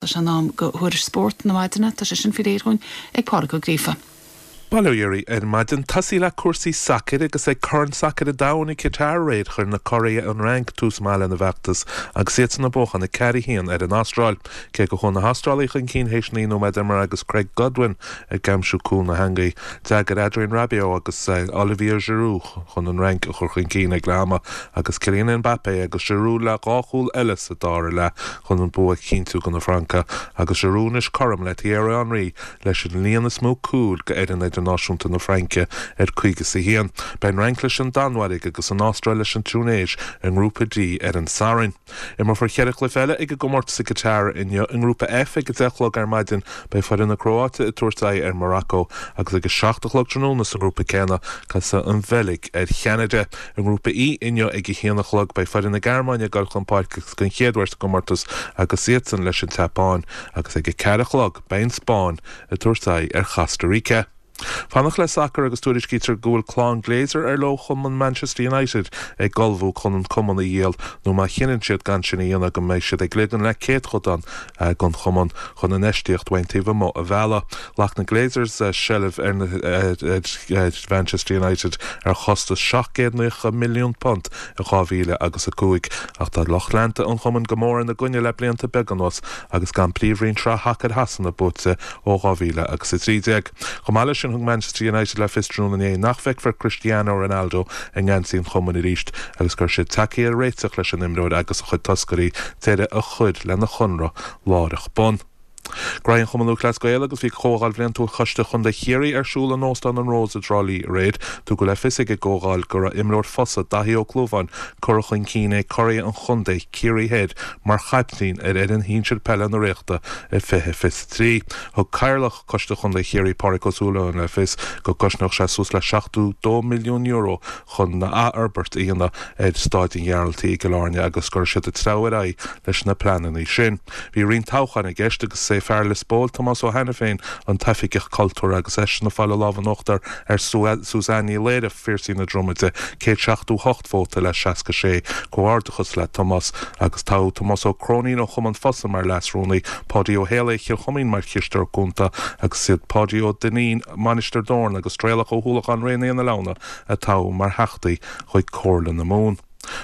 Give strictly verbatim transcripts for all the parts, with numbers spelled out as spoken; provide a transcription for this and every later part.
Tá sé in am do thuairisc spóirt na maidine tá sé sin faoi réir dhúinn ag Pádraig Ó Gríofa. Bail ó Dhia oraibh ar maidin tosaí le cúrsaí sacair agus ag Corn Sacair an Domhain i Qatar aréir chuir na curaidh an Fhrainc tús maith lena bhfeachtas agus iadsan ag buachan a ceathair a haon ar an Astráil. Cé go chuaigh na hAstrálaigh chun cinn théis naoi nóiméad imeartha agus Craig Goodwin ag aimsiú cúl na heangaí. D'fhreagair Adrien Rabiot agus eh, Olivier Giroud chun an Fhrainc a chur chun cinn ag leath ama agus Kylian Mbappé agus Giroud le dhá chúl eile sa dara leath chun an bua a chinntiú do na Francaigh agus Giroud anois cothrom le Thierry Henry leis an líon is mó cúl go fhoireann idirnáisiúnta na Fraince ar caoga is a haon. Beidh an Fhrainc leis an Danmhairg agus an Astráil leis an Túinéis i ngrúpa D ar an Satharn. Imreofar ceithre chluiche eile ag an gcomórtas i Qatar inniu i ngrúpa F ag a deich a chlog ar maidin beidh foireann na Cróite ag tabhairt aghaidh ar Morocco agus ag a seacht a chlog tráthnóna sa ngrúpa céanna casfaidh an Bheilg ar Cheanada. I ngrúpa E inniu ag a haon a chlog beidh foireann na Gearmáine ag dul chun páirce den chéad uair sa gcomórtas agus iadsan leis an tSeapáin agus ag a ceathair a chlog beidh an Spáinn ag tabhairt aghaidh ar Chosta Rica. Fanacht le sacar agus tuairiscítear go bhfuil clann Glazer ar leo chumann Manchester United ag ullmhú chun an cumann a dhíol nó má chinneann siad gan sin a dhéanamh go mbeidh siad ag ligean le céadchodán eh, den chumann chun infheistíocht ón taobh amuigh a mhealladh. Ghlac na Glazers eh, seilbh ar eh, Manchester United ar chostas seacht gcéad nócha milliún punt i dhá mhíle agus a cúig ach tá lucht leanta an chumainn go mór ina gcoinne le blianta beaga anuas agus gan príomhroinn sraith shacair Shasana buaite ó dhá mhíle agus a trí déag. Chomh maith leis sin thug Manchester United le fios tráthnóna inné nach bhfeicfear Cristiano Ronaldo i ngeansaí an chumainn arís agus gur siad tagtha ar réiteach leis an imreoir agus a chuid toscairí deireadh a chur lena chonradh láithreach bonn. Grán Chumann Lúthchleas Gael agus bhí comhdháil bhliantúil Choiste Chontae Chiarraí ar siúl in Óstán an Rose i dTrá Lí aréir, tugadh le fios ag an gcomhdháil go raibh imreoir Fosa Daithí Ó Clúmháin curtha chun cinn ag curaidh an chontae Ciarraí Thoir mar chaiptín ar fhoireann shinsir peile na Ríochta i fiche fiche trí. Thug Cathaoirleach Choiste Chontae Chiarraí Pádraig Ó Súilleabháin le fios go gcosnódh sé suas le seachtó dó milliún euro chun na athfhorbairt a dhéanamh ar Staid an Ghearaltaigh i gCill Airne agus gur siad ag treabhadh ar aghaidh leis na pleananna sin. Bhí roinnt toghchán i gceist agus é fear Lios Póil Tomás Ó Hainiféin an tOifigeach Cultúir agus eisean ag fáil an lámh in uachtar ar Suzanne Ní Laoire Phiarsaigh na Dromaide céad seachtó hocht vóta le seasca sé comhghairdeachas le Tomás agus tá Tomás Ó Cróinín ó Chumann Fosa mar leasrúnaí Páidí Ó Héalaí Chill Choimín mar chisteoir cúnta agus siad Páidí Ó Duinnín Mainistir Dórn agus Traolach Ó hUallacháin Raonaí na Leabhna atá mar theachtaí chuig Comhairle na Mumhan.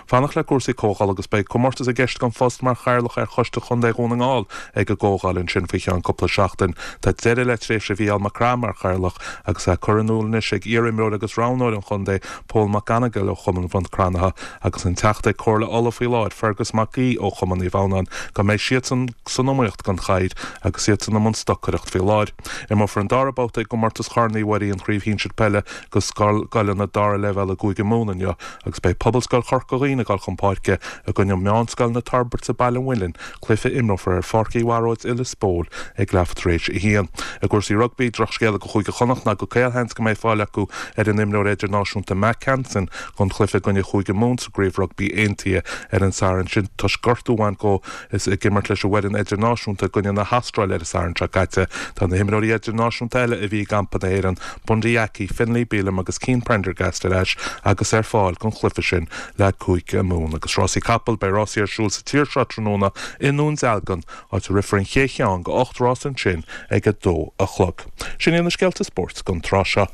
Fanacht le cúrsaí comhdhála agus beidh comórtas i gceist don phost mar chathaoirleach ar Choiste Chontae Dhún na nGall ag an gcomhdháil ansin faoi cheann cúpla seachtain. Tá deireadh le tréimhse Mhícheál Mac Craith mar chathaoirleach agus é curtha in iúl anois ag iarimreoir agus roghnóir an chontae Paul McGonigal ó Chumann Bhun Cranncha agus an teachta Comhairle Uladh faoi láthair Fergus Mac Aoidh ó Chumann Naomh Adhamhnáin go mbeidh siadsan san iomaíocht don chathaoir agus iad san i mbun stocaireacht faoi láthair. Imreofar an dara babhta i gcomórtas Chorn Uí Mhuirí an chraobh shinsir peile do scoileanna dara leibhéal i gCúige Mumhan inniu agus beidh Pobalscoil Chorca Dhuibhne ag dul chun páirce i gcoinne Meánscoil na Toirbhirte Baile an Mhuilinn, cluiche a imreofar ar Pháirc Uí Bharóid i Lios Póil ag leath tar éis a haon. I gcúrsaí rugbaí drochscéala do Chúige Chonnacht ná go caolsheans go mbeidh fáil acu ar an imreoir idirnáisiúnta Mack Hansen don chluiche i gcoinne Chúige Mumhan sa gcraobh rugbaí aontaithe ar an Satharn sin toisc gortú a bhain dó is ag imirt leis an bhfoireann idirnáisiúnta i gcoinne na hAstráile ar an Satharn seo caite. Tá na himreoirí idirnáisiúnta eile a bhí i gcampa na hÉireann, Bundee Aki, Finlay Bealham agus Cian Prendergast ar ais agus ar fáil don chluiche sin le Cúige Mumhan agus rásaí capall beidh rásaí ar siúl sa tír seo tráthnóna i nDún Dealgan áit a rithfear an chéad cheann de ocht rás ansin ag a dó a chlog. Sin iad na scéalta spóirt don tráth seo.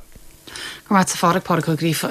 Go raibh maith agat Pádraig Pádraig Ó Gríofa.